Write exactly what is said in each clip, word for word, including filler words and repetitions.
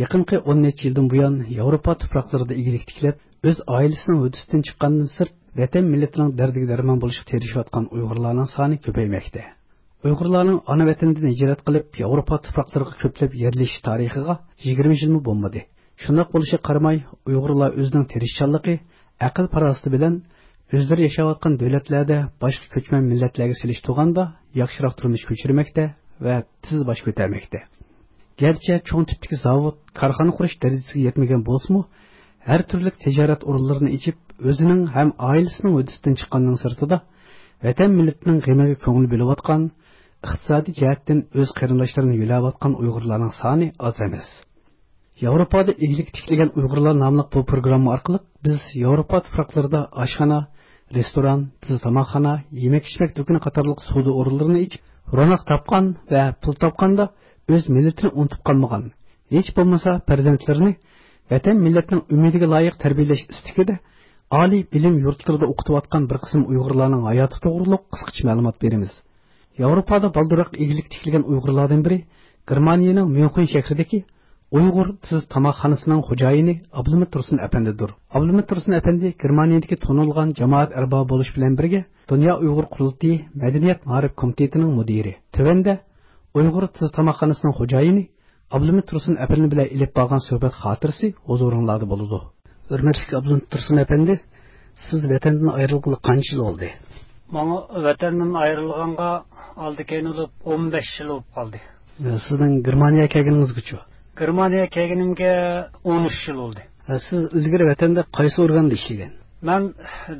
يېقىنقى ئون نەچچە يىلدىن بۇيان ياۋروپا تۇپراقلىرىدا ئىگىلىك تىكلەپ، ئۆز ئائىلىسىنىڭ ھۆددىسىدىن چىققاندىن سىرت، ۋەتەن مىللىتىنىڭ دەردىگە دەرمان بولۇشقا تىرىشىۋاتقان ئۇيغۇرلارنىڭ سانى كۆپەيمەكتە. ئۇيغۇرلارنىڭ ئانا ۋەتىنىدىن ھىجرەت قىلىپ، ياۋروپا تۇپراقلىرىغا كۆپلەپ يەرلىشىش تارىخىغا يىگىرمە يىلمۇ بولمىدى. شۇنداق بولۇشىغا قارىماي، ئۇيغۇرلار ئۆزىنىڭ تىرىشچانلىقى، ئەقىل-پاراسىتى بىلەن ئۆزلىرى ياشاۋاتقان دۆلەتلەردە باشقا كۆچمەن مىللەتلەرگە سېلىشتۇرغاندا ياخشىراق تۇرمۇش كۆچۈرمەكتە ۋە تېز باش كۆتەرمەكتە. گەرچە چوڭ تىپتىكى زاۋۇت، كارخانا قۇرۇش دەرىجىسىگە يەتمىگەن بولسىمۇ، ھەر تۈرلۈك تىجارەت ئورۇنلىرىنى ئېچىپ، ئۆزىنىڭ ھەم ئائىلىسىنىڭ ھۆددىسىدىن چىققاننىڭ سىرتىدا، ۋەتەن مىللىتىنىڭ غېمىگە كۆڭۈل بۆلۈۋاتقان، ئىقتىسادىي جەھەتتىن ئۆز قېرىنداشلىرىنى يۆلەۋاتقان ئۇيغۇرلارنىڭ سانى ئاز ئەمەس. ياۋروپادا ئىگىلىك تىكلىگەن ئۇيغۇرلار ناملىق بۇ پروگرامما ئارقىلىق بىز ياۋروپا تۇپراقلىرىدا ئاشخانا، رېستوران، تېز تاماقخانا، يېمەك-ئىچمەك دۇكىنى قاتارلىق سودا ئورۇنلىرىنى ئېچىپ، روناق تاپقان ۋە پۇل تاپقاندا ئۆز مىللىتىنى ئۇنتۇپ قالمىغان، ھېچ بولمىسا پەرزەنتلىرىنى ۋەتەن مىللەتنىڭ ئۈمىدىگە لايىق تەربىيەلەش ئىستىكىدە ئالىي بىلىم يۇرتلىرىدا ئوقۇتۇۋاتقان بىر قىسىم ئۇيغۇرلارنىڭ ھاياتى توغرۇلۇق قىسقىچە مەلۇمات بېرىمىز. ياۋروپادا بالدۇرراق ئىگىلىك تىكلىگەن ئۇيغۇرلاردىن بىرى گېرمانىيەنىڭ ميۇنخېن شەھىرىدىكى ئۇيغۇر تېز تاماقخانىسىنىڭ خوجايىنى ئابلىمىت تۇرسۇن ئەپەندىدۇر. ئابلىمىت تۇرسۇن ئەپەندى گېرمانىيەدىكى تونۇلغان جامائەت ئەربابى بولۇش بىلەن بىرگە، دۇنيا ئۇيغۇر قۇرۇلتىيى مەدەنىيەت مائارىپ كومىتېتىنىڭ مۇدىرى. تۆۋەندە ئۇيغۇر تېز تاماقخانىسىنىڭ خوجايىنى ئابلىمىت تۇرسۇن ئەپەندى بىلەن ئېلىپ بارغان سۆھبەت خاتىرىسى ھۇزۇرۇڭلاردا بولىدۇ. ھۆرمەتلىك ئابلىمىت تۇرسۇن ئەپەندى، سىز ۋەتەندىن ئايرىلغىلى قانچە يىل بولدى؟ ماڭا ۋەتەندىن ئايرىلغانغا ئالدى كەينى بولۇپ ئون بەش يىل بولۇپ قالدى. سىزنىڭ گېرمانىيەگە كەلگىنىڭىزگىچۇ؟ گېرمانىيەگە كەلگىنىمگە ئون ئۈچ يىل بولدى. سىز ئىلگىرى ۋەتەندە قايسى ئورگاندا ئىشلىگەن؟ مەن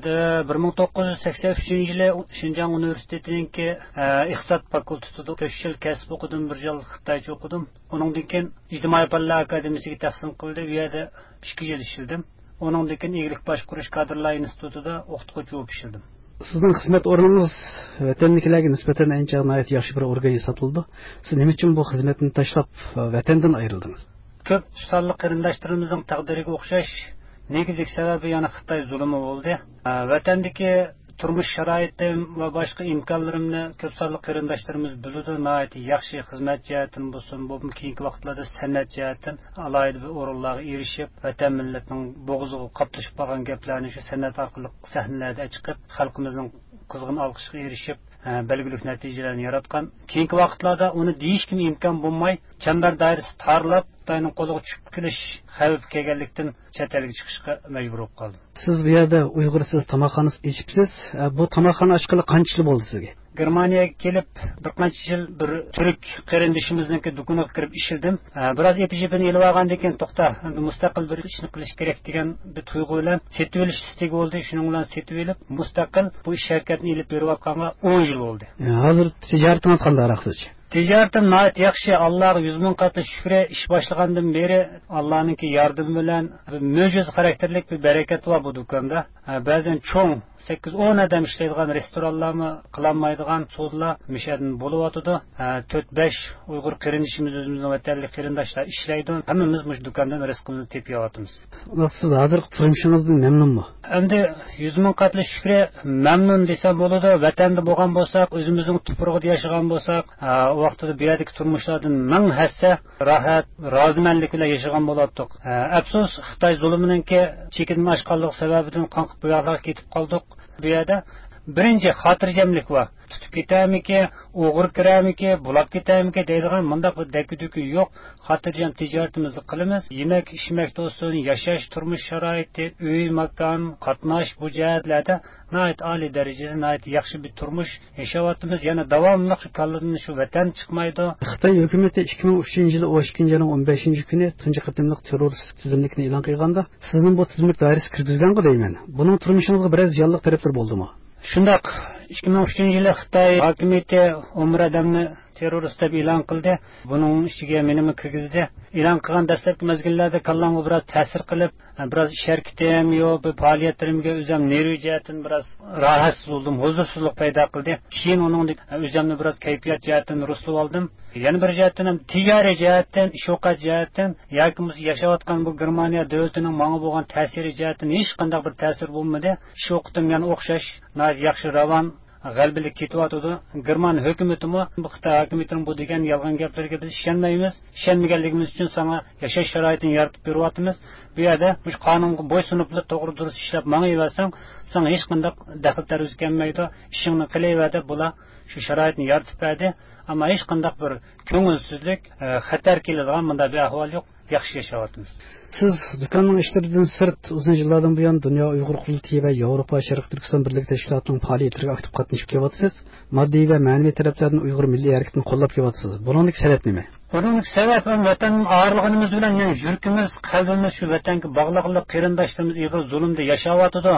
دە-، بىر مىڭ توققۇز يۈز سەكسەن ئۈچىنچى يىلى شىنجاڭ ئۇنىۋېرسىتېتىنىڭكى، ئە، ئىقتىساد فاكۇلتېتىدا تۆت يىل كەسىپ ئوقۇدۇم، بىر يىل خىتايچە ئوقۇدۇم. ئۇنىڭدىن كېيىن ئىجتىمائىي پەنلەر ئاكادېمىيىسىگە تەقسىم قىلدى، ئۇ يەردە ئىككى يىل ئىشلىدىم. ئۇنىڭدىن كېيىن ئىگىلىك باشقۇرۇش كادىرلار ئىنستىتۇتىدا ئوقۇتقۇچى بولۇپ ئىشلىدىم. سىزنىڭ خىزمەت ئورنىڭىز ۋەتەندىكىلەرگە نىسبەتەن ئەنچە ناھايىتى ياخشى بىر ئورگان ھېسابلىنىدۇ. سىز نېمە ئۈچۈن بۇ خىزمەتنى تاشلاپ، ۋەتەندىن ئايرىلدىڭىز؟ كۆپ سانلىق قېرىنداشلىرىمىزنىڭ تەقدىرىگە ئوخشاش، نېگىزلىك سەۋەبى يەنە خىتاي زۇلۇمى بولدى. ۋەتەندىكى تۇرمۇش شارائىتىم ۋە باشقا ئىمكانلىرىمنى كۆپ سانلىق قېرىنداشلىرىمىز بىلىدۇ. ناھايىتى ياخشى خىزمەت جەھەتتىن بولسۇن، بولۇپمۇ كېيىنكى ۋاقىتلاردا سەنئەت جەھەتتىن ئالاھىدە بىر ئورۇنلارغا ئېرىشىپ، ۋەتەن مىللەتنىڭ بوغۇزىغا قاپلىشىپ قالغان گەپلەرنى شۇ سەنئەت ئارقىلىق سەھنىلەردە چىقىپ، خەلقىمىزنىڭ قىزغىن ئالقىشىغا ئېرىشىپ، بەلگىلىك نەتىجىلەرنى ياراتقان. كېيىنكى ۋاقىتلاردا ئۇنى دېيىشكىمۇ ئىمكان بولماي، چەمبەر دائىرىسى تارلاپ، خىتاينىڭ قولىغا چۈشۈپ قېلىش خەۋپى كەلگەنلىكتىن، چەت ئەلگە چىقىشقا مەجبۇر بولۇپ قالدىم. سىز بۇ يەردە ئۇيغۇر سىز تاماقخانىسى ئېچىپسىز. ئە، بۇ تاماقخانا ئاچقىلى قانچە يىل بولدى سىزگە؟ گېرمانىيەگە كېلىپ، بىر قانچە يىل بىر تۈرك قېرىندىشىمىزنىڭكى دۇكىنىغا كىرىپ ئىشلىدىم. ئە، بىراز ئېپى-جېپىنى ئېلىۋالغاندىن كېيىن، توختا، ئەمدى مۇستەقىل بىر ئىشنى قىلىش كېرەك دېگەن بىر تۇيغۇ بىلەن سېتىۋېلىش ئىستىكى بولدى. شۇنىڭ بىلەن سېتىۋېلىپ، مۇستەقىل بۇ ئىش ھەرىكەتنى ئېلىپ بېرىۋاتقانغا ئون يىل بولدى. ئە، ھازىر تىجارىتىڭىز قانداقراق سىزچە؟ تىجارىتىم ناھايىتى ياخشى، ئاللاغا يۈز مىڭ قاتلىق شۈكرى. ئىش باشلىغاندىن بېرى ئاللانىڭكى ياردىمى بىلەن بىر مۆجىزە خاراكتېرلىك بىر بەرىكەت بار بۇ دۇكاندا. ھە، بەزەن چوڭ سەككىز ئون ئادەم ئىشلەيدىغان رېستورانلارمۇ قىلالمايدىغان سودىلار مىشەدىن بولۇۋاتىدۇ. ھە، تۆت بەش ئۇيغۇر قېرىندىشىمىز، ئۆزىمىزنىڭ ۋەتەنلىك قېرىنداشلار ئىشلەيدۇ. ھەممىمىز مۇشۇ دۇكاندىن رىزقىمىزنى تېپىۋاتىمىز. سىز ھازىرقى تۇرمۇشىڭىزدىن مەمنۇنمۇ؟ ئەمدى يۈز مىڭ قاتلىق شۈكرى، مەمنۇن دېسەم بولىدۇ. ۋەتەندە بولغان بولساق، ئۆزىمىزنىڭ تۇپرىقىدا ياشىغان بولساق، ئا، ئۇ ۋاقتىدا بۇ يەردىكى تۇرمۇشلاردىن مىڭ ھەسسە راھەت، رازىمەنلىك بىلەن ياشىغان بولاتتۇق. ئا، ئەپسۇس، خىتاي زۇلۇمىنىڭكى چېكىدىن ئاشقانلىقى سەۋەبىدىن قاڭقىپ بۇ ياقلارغا كېتىپ قالدۇق. بۇ يەردە بىرىنچى خاتىرجەملىك بار. تۇتۇپ كېتەرمىكى، ئوغرى كىرەرمىكى، بۇلاپ كېتەرمىكى دەيدىغان مۇنداق بىر دەككە-دۈككە يوق. خاتىرجەم تىجارىتىمىزنى قىلىمىز. يېمەك-ئىچمەكتە بولسۇن، ياشاش، تۇرمۇش شارائىتى، ئۆي، ماكان، قاتناش، بۇ جەھەتلەردە ناھايىتى ئالىي دەرىجىدە، ناھايىتى ياخشى بىر تۇرمۇش ياشاۋاتىمىز. يەنە داۋاملىق شۇ كاللىدىن شۇ ۋەتەن چىقمايدۇ. خىتاي ھۆكۈمىتى ئىككى مىڭ ئۈچىنچى يىلى ئون ئىككىنچى ئاينىڭ ئون بەشىنچى كۈنى تۇنجى قېتىملىق تېررورىستلىق تىزىملىكىنى ئېلان قىلغاندا، سىزنى بۇ تىزىملىك دائىرىسىگە كىرگۈزگەنغۇ دەيمەن. بۇنىڭ تۇرمۇشىڭىزغا بىرەر زىيانلىق تەرەپلىرى بولدىمۇ؟ شۇنداق، ئىككى مىڭ ئۈچىنچى يىلى خىتاي ھاكىمىيىتى ئون بىر ئادەمنى تېررورىست دەپ ئېلان قىلدى. بۇنىڭ ئىچىگە مېنىمۇ كىرگۈزدى. ئېلان قىلغان دەسلەپكى مەزگىللەردە كاللامغا بىراز تەسىر قىلىپ، بىراز ئىش ھەرىكىتىم يوق، بىر پائالىيەتلىرىمگە ئۆزۈم نېرۋا جەھەتتىن بىراز راھەتسىز بولدۇم، ھۇزۇرسىزلىق پەيدا قىلدى. كېيىن ئۇنىڭدىن ئۆزۈمنى بىراز كەيپىيات جەھەتتىن رۇسلىۋالدىم. يەنە بىر جەھەتتىن ھەم تىجارىي جەھەتتىن، ئىش-ئوقەت جەھەتتىن ياكى بولمىسا ياشاۋاتقان بۇ گېرمانىيە دۆلىتىنىڭ ماڭا بولغان تەسىرى جەھەتتىن ھېچقانداق بىر تەسىر بولمىدى. ئىش-ئوقىتىم يەنە ئوخشاش، ناھايىتى ياخشى راۋان. غەلىبىلىك كېتىۋاتىدۇ. گېرمان ھۆكۈمىتىمۇ بۇ خىتاي ھاكىمىيىتىنىڭ بۇ دېگەن يالغان گەپلىرىگە بىز ئىشەنمەيمىز. ئىشەنمىگەنلىكىمىز ئۈچۈن ساڭا ياشاش شارائىتىنى يارىتىپ بېرىۋاتىمىز. بۇ يەردە مۇشۇ قانۇنغا بويسۇنۇپلا توغرا دۇرۇست ئىشلەپ ماڭىۋەرسەڭ، ساڭا ھېچقانداق دەخلى تەرۇز كەلمەيدۇ. ئىشىڭنى قىلىۋەر دەپ بۇلار شۇ شارائىتنى يارىتىپ بەردى. ئەمما ھېچقانداق بىر كۆڭۈلسىزلىك، ئە، خەتەر كېلىدىغان مۇنداق بىر ئەھۋال يوق. ياخشى ياشاۋاتىمىز. سىز دۇكاننىڭ ئىشلىرىدىن سىرت، ئۇزۇن يىللاردىن بۇيان دۇنيا ئۇيغۇر قۇرۇلتىيى ۋە ياۋروپا شەرقىي تۈركىستان بىرلىكى تەشكىلاتىنىڭ پائالىيەتلىرىگە ئاكتىپ قاتنىشىپ كېلىۋاتىسىز. ماددىي ۋە مەنىۋى تەرەپلەردىن ئۇيغۇر مىللىي ھەرىكىتىنى قوللاپ كېلىۋاتىسىز. بۇنىڭدىكى سەۋەب نېمە؟ بۇنىڭدىكى سەۋەب ۋەتەندىن ئايرىلغىنىمىز بىلەن يەنە يۈرىكىمىز، قەلبىمىز شۇ ۋەتەنگە باغلىقلىق، قېرىنداشلىرىمىز ئېغىر زۇلۇمدا ياشاۋاتىدۇ.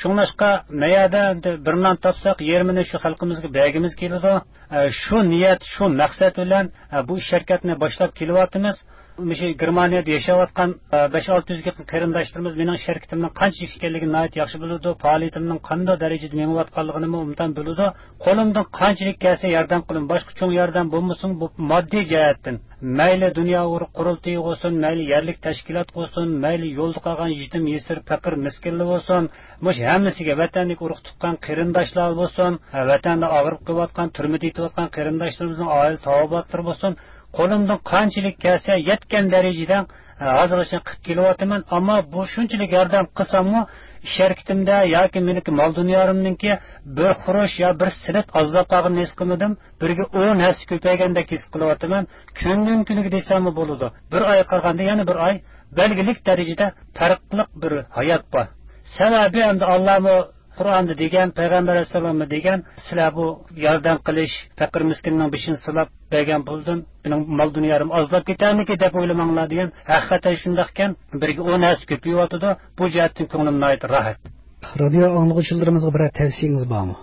شۇڭلاشقا مەيەردە بىر نان تاپساق، يېرىمىنى شۇ خەلقىمىزگە بەرگىمىز كېلىدۇ. ئە، شۇ نىيەت، شۇ مەقسەت بىلەن، ئە، بۇ ئىش ھەرىكەتنى باشلاپ كېلىۋاتىمىز. مۇشۇ گېرمانىيەدە ياشاۋاتقان، ئە، بەش-ئالتە يۈز يېقىن قېرىنداشلىرىمىز مېنىڭ ئىش ھەرىكىتىمنىڭ قانچىلىك ئىكەنلىكىنى ناھايىتى ياخشى بىلىدۇ، پائالىيىتىمنىڭ قانداق دەرىجىدە مېڭىۋاتقانلىقىنىمۇ ئوبدان بىلىدۇ. قولۇمدىن قانچىلىك كەلسە ياردەم قىلىمەن. باشقا چوڭ ياردەم بولمىسىمۇ، بۇ ماددىي جەھەتتىن، مەيلى دۇنيا ئۇيغۇر قۇرۇلتىيى بولسۇن، مەيلى يەرلىك تەشكىلات بولسۇن، مەيلى يولدا قالغان يېتىم يېسىر، پەقىر مىسكىنلەر بولسۇن، مۇشۇ ھەممىسىگە، ۋەتەندىكى ئۇرۇق تۇغقان قېرىنداشلار بولسۇن، ھە، ۋەتەندە ئاغرىپ قېلىۋاتقان، تۈرمىدە يېتىۋاتقان قېرىنداشلىرىمىزنىڭ ئائىلە تاۋابىئاتلىرى بولسۇن، قولۇمدىن قانچىلىك كەلسە يەتكەن دەرىجىدە، ھە، ھازىرغىچە قىلىپ كېلىۋاتىمەن. ئەمما بۇ شۇنچىلىك ياردەم قىلساممۇ، ئىش ھەرىكىتىمدە ياكى مېنىڭكى مال دۇنيامنىڭكى بىر خۇرۇش يا بىر سېنت ئازلاپ قالغىنىنى ھېس قىلمىدىم. بىرگە ئون ھەسسە كۆپەيگەندەك ھېس قىلىۋاتىمەن. كۈندىن كۈنگە دېسەممۇ بولىدۇ. بىر ئايغا قارىغاندا يەنە بىر ئاي بەلگىلىك دەرىجىدە پەرقلىق بىر ھايات بار. سەۋەبى ئەمدى ئاللامۇ قۇرئاندا دېگەن، پەيغەمبەر ئەلەيھىسسالاممۇ دېگەن، سىلەر بۇ ياردەم قىلىش، پەقىر مىسكىننىڭ بېشىنى سىلاپ بەرگەن پۇلدىن مېنىڭ مال دۇنيالىرىم ئازلاپ كېتەرمىكىن دەپ ئويلىماڭلار دېگەن. ھەقىقەتەن شۇنداقكەن، بىرگە ئون ھەسسە كۆپىيىۋاتىدۇ. بۇ جەھەتتىن كۆڭلۈم ناھايىتى راھەت. رادىيو ئاڭلىغۇچىلىرىمىزغا بىرەر تەۋسىيىڭىز بارمۇ؟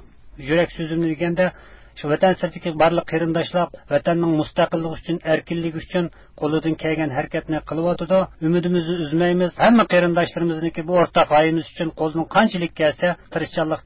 يۈرەك سۆزۈمنى دېگەندە، شۇ ۋەتەن سىرتىدىكى بارلىق قېرىنداشلار ۋەتەننىڭ مۇستەقىللىقى ئۈچۈن، ئەركىنلىكى ئۈچۈن قولىدىن كەلگەن ھەرىكەتنى قىلىۋاتىدۇ. ئۈمىدىمىزنى ئۈزمەيمىز. ھەممە قېرىنداشلىرىمىزنىڭكى بۇ ئورتاق غايىمىز ئۈچۈن قولىدىن قانچىلىك كەلسە تىرىشچانلىق